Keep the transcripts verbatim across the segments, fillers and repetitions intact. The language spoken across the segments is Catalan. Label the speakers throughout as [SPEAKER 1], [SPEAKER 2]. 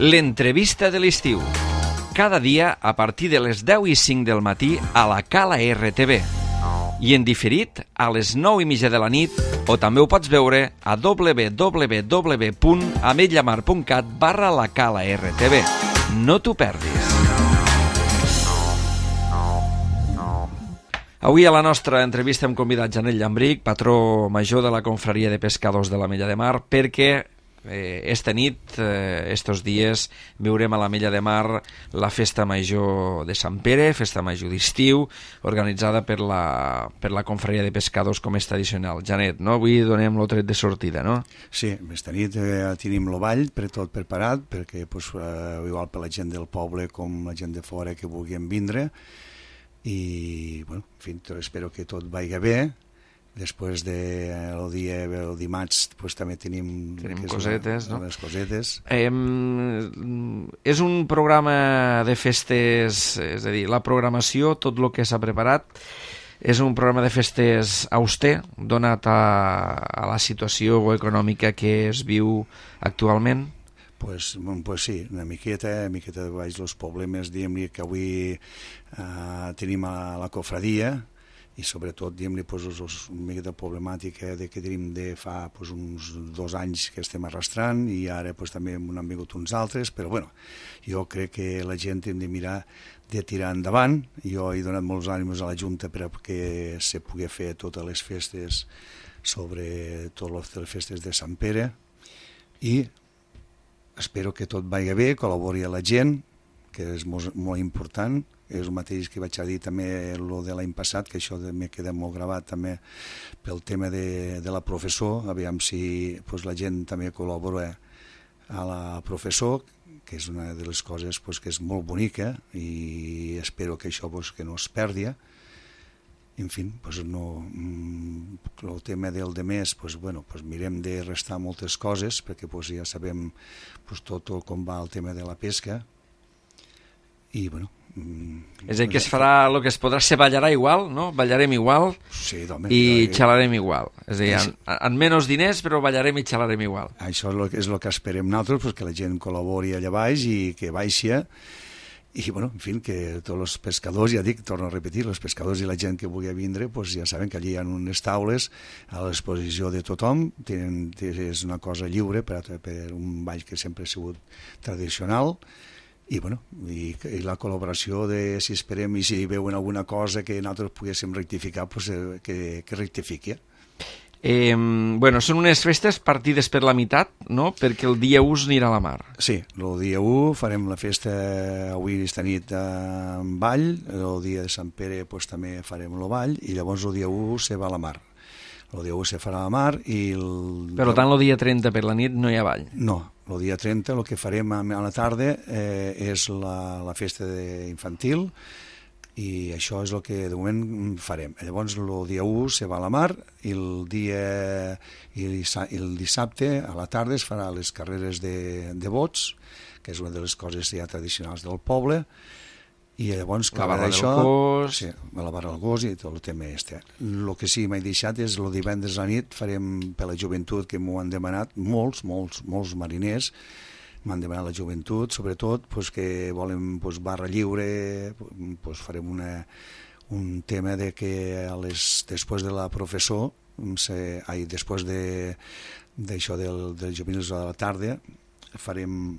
[SPEAKER 1] L'entrevista de l'estiu. Cada dia a partir de les deu i cinc del matí a la Cala R T V. I en diferit a les nou i mitja de la nit, o també ho pots veure a w w w punt ametlla mar punt cat barra la Cala R T V. No t'ho perdis. Avui a la nostra entrevista hem convidat Janet Llambrich, patró major de la Confraria de Pescadors de l'Ametlla de Mar, perquè eh, esta nit, eh, estos dies, viurem a l'Ametlla de Mar la Festa Major de Sant Pere, Festa Major d'estiu, organitzada per la, per la Confraria de Pescadors com és tradicional. Janet, no? Avui donem el tret de sortida, no?
[SPEAKER 2] Sí, esta nit eh, tenim el ball per tot preparat, perquè pues, eh, igual per la gent del poble com la gent de fora que vulguin vindre, i bueno, en fi, espero que tot vagi bé. Després del de dia, el dimarts, pues, també tenim,
[SPEAKER 1] tenim cosetes,
[SPEAKER 2] la,
[SPEAKER 1] no?
[SPEAKER 2] les cosetes.
[SPEAKER 1] Eh, és un programa de festes, és a dir, la programació, tot el que s'ha preparat, és un programa de festes auster, donat a, a la situació econòmica que es viu actualment?
[SPEAKER 2] Pues, pues sí, una miqueta, una miqueta de baix els problemes, diguem-li que avui eh, tenim a la cofradia i sobretot, diguem-li, pues, una miqueta problemàtica de que tenim de fa pues, uns dos anys que estem arrastrant i ara pues, també n'han vingut uns altres, però bueno, jo crec que la gent hem de mirar de tirar endavant. Jo he donat molts ànims a la Junta perquè se pugui fer totes les festes sobre totes les festes de Sant Pere i espero que tot vagi bé, col·labori a la gent, que és molt, molt important. És el mateix que vaig a dir també el de l'any passat, que això m'ha quedat molt gravat també pel tema de, de la professor, aviam si pues, la gent també col·labora a la professor, que és una de les coses pues, que és molt bonica i espero que això pues, que no es perdi. En fi, pues no, el tema del demés, pues bueno, pues mirem de restar moltes coses, perquè pues ja sabem pues tot, tot com va el tema de la pesca, i bueno...
[SPEAKER 1] És a dir, que es farà, el que es podrà ser ballarà igual, no? Ballarem igual
[SPEAKER 2] sí, home,
[SPEAKER 1] i
[SPEAKER 2] que...
[SPEAKER 1] xalarem igual. És a dir, amb, amb menys diners, però ballarem i xalarem igual.
[SPEAKER 2] Això és el, és el que esperem nosaltres, pues que la gent col·labori allà baix i que baixi. I, bueno, en fi, que tots els pescadors, ja dic, torno a repetir, els pescadors i la gent que vulgui vindre, pues ja saben que allí hi ha unes taules a l'exposició de tothom, tenen, és una cosa lliure per, per un ball que sempre ha sigut tradicional, i, bueno, i, i la col·laboració de, si esperem, i si veuen alguna cosa que nosaltres poguéssim rectificar, pues, que, que rectifiqui.
[SPEAKER 1] Eh, bueno, són unes festes partides per la meitat, no? Perquè el dia u anirà a la mar.
[SPEAKER 2] Sí, el dia u farem la festa avui esta nit en ball, el dia de Sant Pere pues, també farem el ball i llavors el dia u se va a la mar. El dia u se farà a la mar i... El...
[SPEAKER 1] Per tant, el dia trenta per la nit no hi ha ball?
[SPEAKER 2] No, el dia trenta el que farem a la tarda eh, és la, la festa infantil i això és el que de moment farem. Llavors el dia u se va a la mar i el dia i el dissabte a la tarda es farà les carreres de, de bots, que és una de les coses ja tradicionals del poble, i llavors
[SPEAKER 1] la barra
[SPEAKER 2] això,
[SPEAKER 1] del gos,
[SPEAKER 2] sí, la barra del gos i tot el tema este. El que sí m'he deixat és el divendres a la nit farem per la joventut, que m'ho han demanat molts, molts, molts mariners, m'han demanat la joventut, sobretot pues, que volen pues, barra lliure, pues, farem una, un tema de que a les, després de la professor, se, ai, després d'això de, del, dels juvenils de la tarda, farem,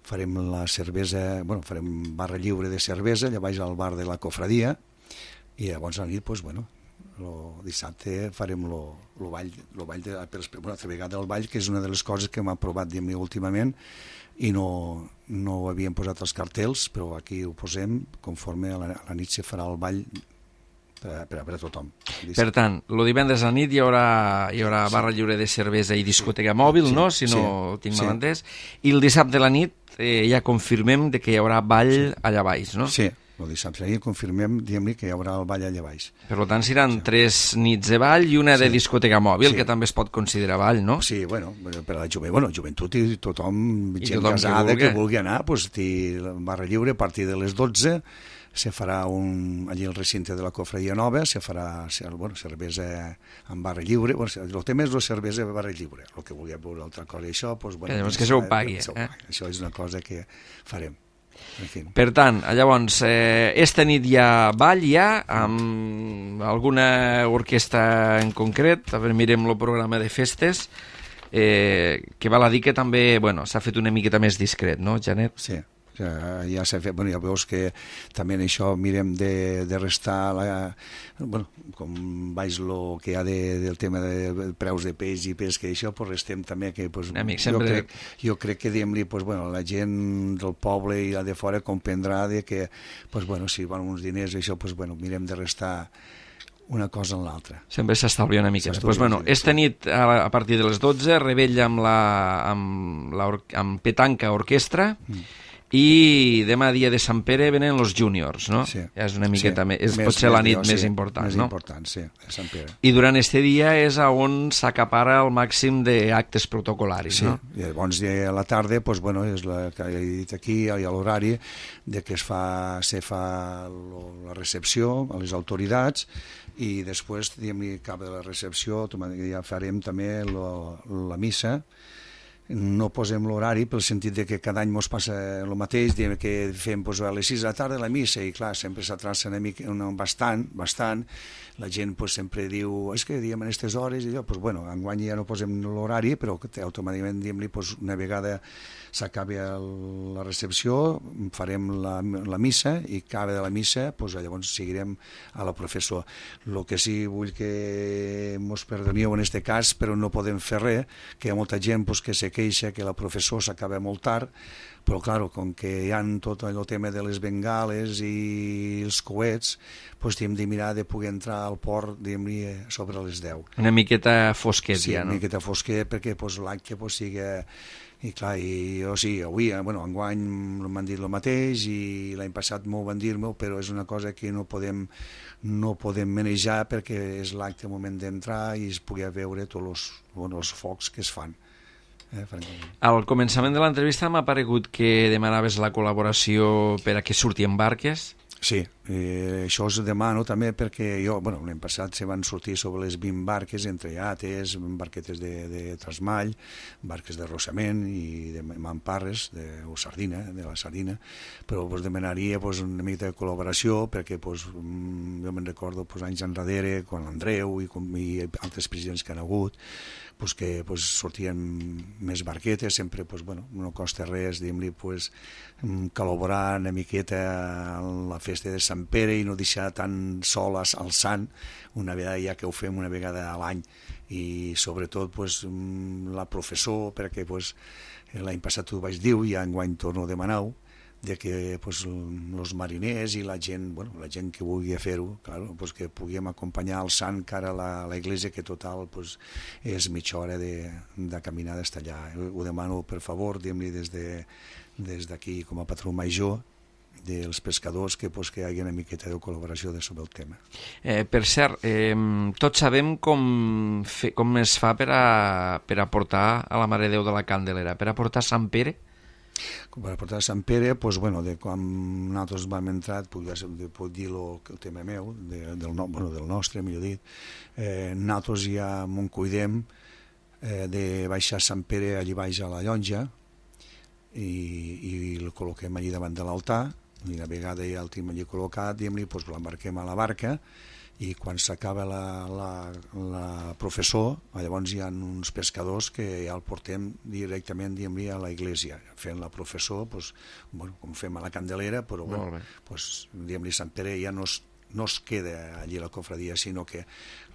[SPEAKER 2] farem la cervesa, bueno, farem barra lliure de cervesa, allà baix al bar de la cofradia, i llavors a la nit, pues, bueno, el dissabte farem el ball, lo ball de, per una altra vegada el ball, que és una de les coses que hem aprovat diguem, últimament i no, no ho havíem posat als cartells, però aquí ho posem conforme a la, a la nit se farà el ball per, per, per a tothom.
[SPEAKER 1] Per tant, el divendres a la nit hi haurà, hi haurà barra lliure de cervesa i discoteca mòbil, sí, no? Si no sí, tinc mal entès. I el dissabte a la nit eh, ja confirmem de que hi haurà ball sí. allà baix, no?
[SPEAKER 2] Sí. el dissabte. Ahir confirmem, diguem-li, que hi haurà el ball allà baix.
[SPEAKER 1] Per tant, seran sí. tres nits de ball i una sí. de discoteca mòbil, sí. que també es pot considerar ball, no?
[SPEAKER 2] Sí, bueno, per a la joventut, bueno, joventut i tothom,
[SPEAKER 1] I
[SPEAKER 2] gent
[SPEAKER 1] tothom
[SPEAKER 2] casada
[SPEAKER 1] que vulgui.
[SPEAKER 2] que vulgui anar, pues, barra lliure a partir de les dotze, se farà un, allí al recinte de la Cofradia Nova, se farà bueno, cervesa en barra lliure, bueno, el tema és la cervesa en barra lliure, el que vulgui veure altra cosa i això, doncs, bueno,
[SPEAKER 1] que llavors que se ho pagui, eh?
[SPEAKER 2] eh? Això és una cosa que farem. En fi.
[SPEAKER 1] Per tant, llavors, eh, esta nit hi ha ball ja, amb alguna orquestra en concret, a veure, mirem el programa de festes, eh, que val a dir que també, bueno, s'ha fet una miqueta més discret, no, Janet?
[SPEAKER 2] Sí. Ja, ja s'ha fet, bueno, ja veus que també en això mirem de, de restar la, bueno, com baix lo que hi ha de, del tema de preus de peix i pesca i això, pues restem també que pues,
[SPEAKER 1] Amic,
[SPEAKER 2] jo,
[SPEAKER 1] sempre...
[SPEAKER 2] crec, jo crec que diguem-li pues, bueno, la gent del poble i la de fora comprendrà de que pues, bueno, si van uns diners i això, pues, bueno, mirem de restar una cosa en l'altra.
[SPEAKER 1] Sempre s'estalvia una mica. Pues, bueno, esta nit, a, a partir de les dotze, rebella amb, la, amb, la, amb petanca orquestra, mm. i demà dia de Sant Pere venen els júniors, no?
[SPEAKER 2] Sí.
[SPEAKER 1] Ja és una miqueta
[SPEAKER 2] sí.
[SPEAKER 1] més, és
[SPEAKER 2] més,
[SPEAKER 1] potser la nit
[SPEAKER 2] més,
[SPEAKER 1] més
[SPEAKER 2] sí,
[SPEAKER 1] important,
[SPEAKER 2] més
[SPEAKER 1] no?
[SPEAKER 2] Més important, sí, de Sant Pere.
[SPEAKER 1] I durant este dia és on s'acapara el màxim d'actes protocolaris,
[SPEAKER 2] sí.
[SPEAKER 1] no?
[SPEAKER 2] I llavors a la tarda, pues, bueno, és la que he dit aquí, hi ha l'horari de que es fa, se fa la recepció a les autoritats i després, diguem-ne, cap de la recepció, ja farem també lo, la missa. No posem l'horari pel sentit de que cada any mos passa el mateix, diem que fem pues, a les sis de la tarda la missa i clar, sempre s'atrasa una mica, una, bastant, bastant, la gent pues, sempre diu, és que diem en aquestes hores i allò, pues, bueno, enguany ja no posem l'horari, però automàticament diem-li pues, una vegada s'acabi la recepció, farem la, la missa i acaba de la missa, pues, llavors seguirem a la professor. El que sí vull que mos perdonieu en aquest cas, però no podem fer res, que hi ha molta gent pues, que se queixa que la professor s'acaba molt tard, però clar, com que hi ha tot el tema de les bengales i els coets, doncs hem de mirar de poder entrar al port sobre les deu.
[SPEAKER 1] Una miqueta fosquet,
[SPEAKER 2] sí,
[SPEAKER 1] ja, no?
[SPEAKER 2] Sí, una miqueta fosquet perquè pues, l'acte pues, sigui... I clar, i, o sigui, avui, bueno, enguany m'han dit el mateix i l'any passat m'ho van dir-me, però és una cosa que no podem, no podem manejar perquè és l'acte el moment d'entrar i es pugui veure tots els, bueno, els focs que es fan. Eh,
[SPEAKER 1] Al començament de l'entrevista m'ha paregut que demanaves la col·laboració per a que surti en barques.
[SPEAKER 2] Sí, eh, això us demano també perquè jo, bueno, l'any passat se van sortir sobre les vint barques, entre yates, barquetes de, de trasmall, barques de rossament i de mamparres, de, o sardina, de la sardina, però us demanaria pues, una mica de col·laboració perquè pues, jo me'n recordo pues, anys enrere, quan l'Andreu i, i altres presidents que han hagut, pues, que pues, sortien més barquetes, sempre pues, bueno, no costa res, diguem-li, pues, col·laborar una miqueta a la festa de Sant Pere i no deixar tan sol al sant una vegada ja que ho fem una vegada a l'any i sobretot pues, la professor perquè pues, l'any passat ho vaig dir i enguany torno a demanar de que pues, els mariners i la gent, bueno, la gent que vulgui fer-ho, claro, pues, que puguem acompanyar el sant cara a la, a la iglesia, que total pues, és mitja hora de, de caminar d'estar allà. Ho demano per favor, diguem-li des de des d'aquí com a patró major dels pescadors que, pues, que hi hagi una miqueta de col·laboració de sobre el tema.
[SPEAKER 1] Eh, per cert, eh, tots sabem com, fe, com es fa per a, per a portar a la Mare de Déu de la Candelera, per a portar Sant Pere?
[SPEAKER 2] Per a portar a Sant Pere, pues, bueno, de quan nosaltres vam entrar, puc, puc dir lo, el tema meu, de, del, no, bueno, del nostre, millor dit, eh, nosaltres ja m'ho cuidem eh, de baixar Sant Pere allí baix a la llonja, i, i el col·loquem allí davant de l'altar i una vegada ja el tenim allí col·locat diguem-li, doncs l'embarquem a la barca i quan s'acaba la, la, la professor, llavors hi ha uns pescadors que ja el portem directament diguem-li a la iglesia, fent la professor doncs, bueno, com fem a la Candelera però bueno, doncs, diguem-li Sant Pere ja no es no es queda allí a la cofradia, sinó que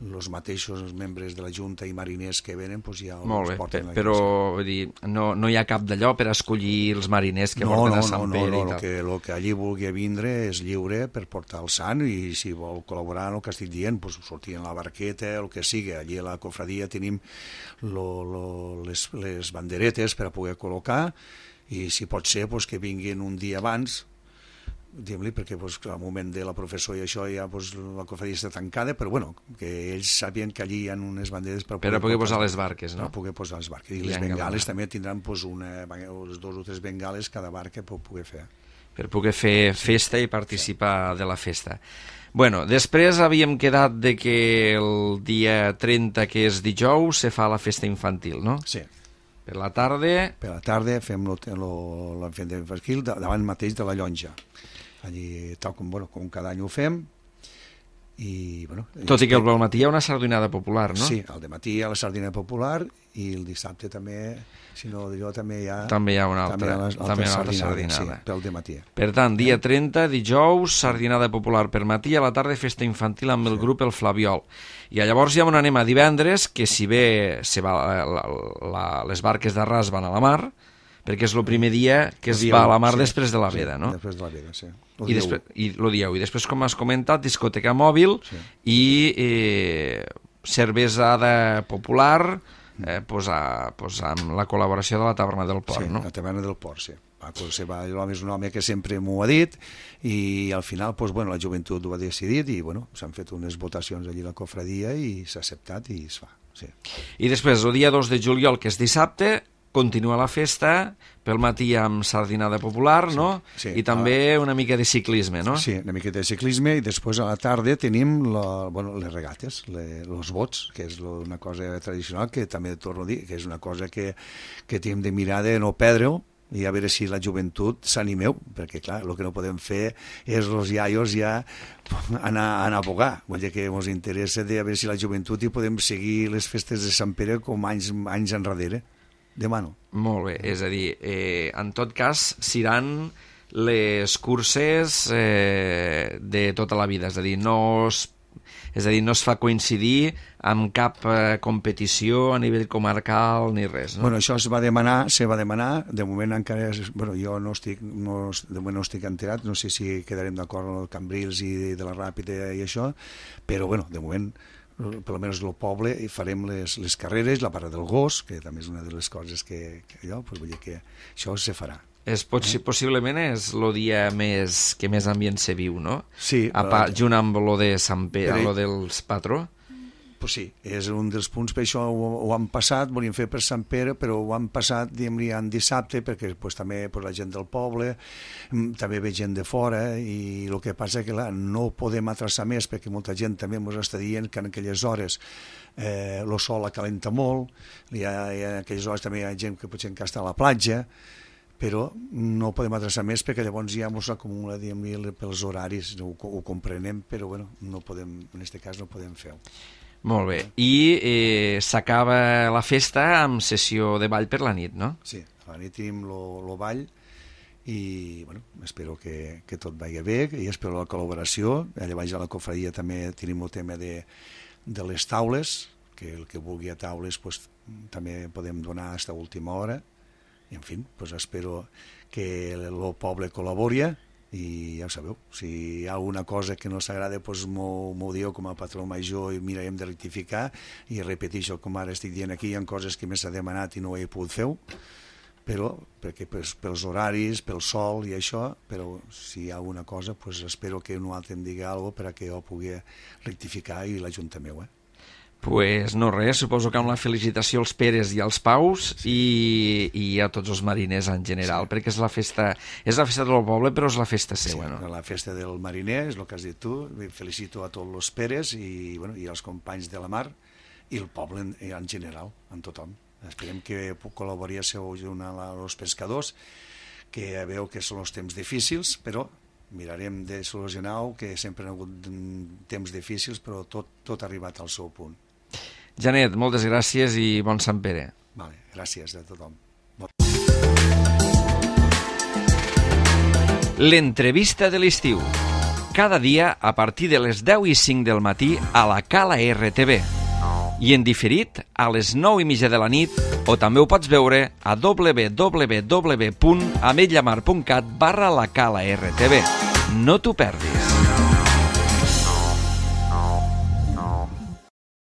[SPEAKER 2] els mateixos membres de la Junta i mariners que venen pues, ja els porten a la
[SPEAKER 1] però vull dir, no, no hi ha cap d'allò per escollir els mariners que no, porten
[SPEAKER 2] no,
[SPEAKER 1] a Sant
[SPEAKER 2] no,
[SPEAKER 1] Pere
[SPEAKER 2] no, no,
[SPEAKER 1] i tal.
[SPEAKER 2] El que, el que allí vulgui vindre és lliure per portar el sant i si vol col·laborar en el que estic dient, pues, sortir en la barqueta, el que sigui. Allí a la cofradia tenim lo, lo, les, les banderetes per a poder col·locar i si pot ser pues, que vinguin un dia abans diguem-li, perquè pues, al moment de la professor i això ja pues, la cofradia està tancada, però bueno, que ells sabien que allí hi ha unes banderes per
[SPEAKER 1] per a poder posar les barques, no?
[SPEAKER 2] Per poder posar les barques. I les bengales també tindran pues, una, les dos o tres bengales cada barca per poder fer.
[SPEAKER 1] Per poder fer festa i participar sí. de la festa. Bueno, després havíem quedat de que el dia trenta, que és dijous, se fa la festa infantil, no?
[SPEAKER 2] Sí.
[SPEAKER 1] Per la tarda...
[SPEAKER 2] Per la tarda fem la festa infantil davant mateix de la llonja. Allí, tal com, bueno, com cada any ho fem. I, bueno,
[SPEAKER 1] tot i que al matí hi ha una sardinada popular, no?
[SPEAKER 2] Sí, al matí hi ha la sardinada popular i el dissabte també, si no jo també hi ha...
[SPEAKER 1] També hi ha una altra,
[SPEAKER 2] també hi ha l'altra
[SPEAKER 1] també hi ha
[SPEAKER 2] sardinada,
[SPEAKER 1] sardinada.
[SPEAKER 2] Sí, pel dematí.
[SPEAKER 1] Per tant, dia trenta, dijous, sardinada popular per matí, a la tarda festa infantil amb el sí. grup El Flabiol. I llavors ja on anem a divendres, que si bé se va, la, la, les barques d'arràs van a la mar, perquè és el primer dia que es va a la mar sí, després de la veda,
[SPEAKER 2] sí,
[SPEAKER 1] no?
[SPEAKER 2] Després de la veda, sí.
[SPEAKER 1] I després, i lo dieu. I després, com has comentat, discoteca mòbil sí. i eh, cervesada popular, eh, pues a, pues amb la col·laboració de la Taverna del Port,
[SPEAKER 2] sí,
[SPEAKER 1] no?
[SPEAKER 2] la Taverna del Port, sí. L'home és un home que sempre m'ho ha dit i al final pues, bueno, la joventut ho ha decidit i bueno, s'han fet unes votacions allí a la cofradia i s'ha acceptat i es fa. Sí.
[SPEAKER 1] I després, el dia dos de juliol, que és dissabte, continua la festa, pel matí amb sardinada popular,
[SPEAKER 2] sí,
[SPEAKER 1] no?
[SPEAKER 2] Sí.
[SPEAKER 1] I també una mica de ciclisme, no?
[SPEAKER 2] Sí, una miqueta de ciclisme i després a la tarda tenim la, bueno, les regates, els bots, que és una cosa tradicional que també torno a dir, que és una cosa que, que tenim de mirar de no perdre-ho i a veure si la joventut s'animeu, perquè clar, el que no podem fer és els iaios ja anar, anar a bogar, vull dir que ens interessa de a veure si la joventut hi podem seguir les festes de Sant Pere com anys, anys enrere. Demano.
[SPEAKER 1] Molt bé, és a dir, eh, en tot cas, seran les curses eh, de tota la vida, és a dir, no es, és a dir, no es fa coincidir amb cap eh, competició a nivell comarcal ni res, no?
[SPEAKER 2] Bueno, això es va demanar, se va demanar, de moment encara, és, bueno, jo no estic, no, de moment no estic enterat, no sé si quedarem d'acord amb el Cambrils i de, de la Ràpida i això, però bueno, de moment per almenys el poble, i farem les, les carreres, la parada del gos, que també és una de les coses que, que allò, pues vull dir que això se farà.
[SPEAKER 1] És, potser, eh? Possiblement és el dia més, que més ambient se viu, no?
[SPEAKER 2] Sí.
[SPEAKER 1] A part, junt amb lo de Sant Pere,
[SPEAKER 2] però...
[SPEAKER 1] lo dels patró?
[SPEAKER 2] Pues sí, és un dels punts, per això ho, ho han passat, volíem fer per Sant Pere, però ho han passat, diguem-li, en dissabte, perquè pues, també pues, la gent del poble, també ve gent de fora, i el que passa que clar, no podem atrasar més, perquè molta gent també ens està dient que en aquelles hores eh, el sol acalenta molt, hi ha, hi ha, en aquelles hores també hi ha gent que potser encara està a la platja, però no podem atrasar més perquè llavors ja ens acumula, diguem-li, pels horaris, ho, ho comprenem, però bueno, no podem, en aquest cas no podem fer-ho.
[SPEAKER 1] Molt bé. I eh, s'acaba la festa amb sessió de ball per la nit, no?
[SPEAKER 2] Sí, a la nit tenim el ball i bueno, espero que, que tot vagi bé i espero la col·laboració. Allà baix a la cofradia també tenim el tema de, de les taules, que el que vulgui a taules pues, també podem donar fins a última hora i en fi, pues, espero que el poble col·labori i ja ho sabeu, si hi ha alguna cosa que no s'agrada, doncs m'ho dieu com a patró major i mirarem de rectificar i repeteixo, com ara estic dient aquí, hi ha coses que m'he demanat i no ho he pogut fer, però perquè pues, pels horaris, pel sol i això, però si hi ha alguna cosa, pues, espero que un altre em digui alguna cosa perquè jo pugui rectificar i l'Ajuntament meu, eh?
[SPEAKER 1] Pues no res, suposo que amb la felicitació als Peres i als Paus sí. i, i a tots els mariners en general, sí. perquè és la festa és la festa del poble, però és la festa seva,
[SPEAKER 2] sí,
[SPEAKER 1] no?
[SPEAKER 2] La festa del mariner, és el que has dit tu, felicito a tots els Peres i, bueno, i als companys de la mar i el poble en, en general, en tothom. Esperem que col·labori als pescadors, que veu que són els temps difícils, però mirarem de solucionar-ho, que sempre han hagut temps difícils, però tot, tot ha arribat al seu punt.
[SPEAKER 1] Janet, moltes gràcies i bon Sant Pere.
[SPEAKER 2] Vale, gràcies a tothom.
[SPEAKER 1] L'entrevista de l'estiu. Cada dia a partir de les deu i cinc del matí a la Cala R T V. I en diferit a les nou i mitja de la nit, o també ho pots veure a w w w punt ametlla mar punt cat barra la Cala R T V. No t'ho perdis.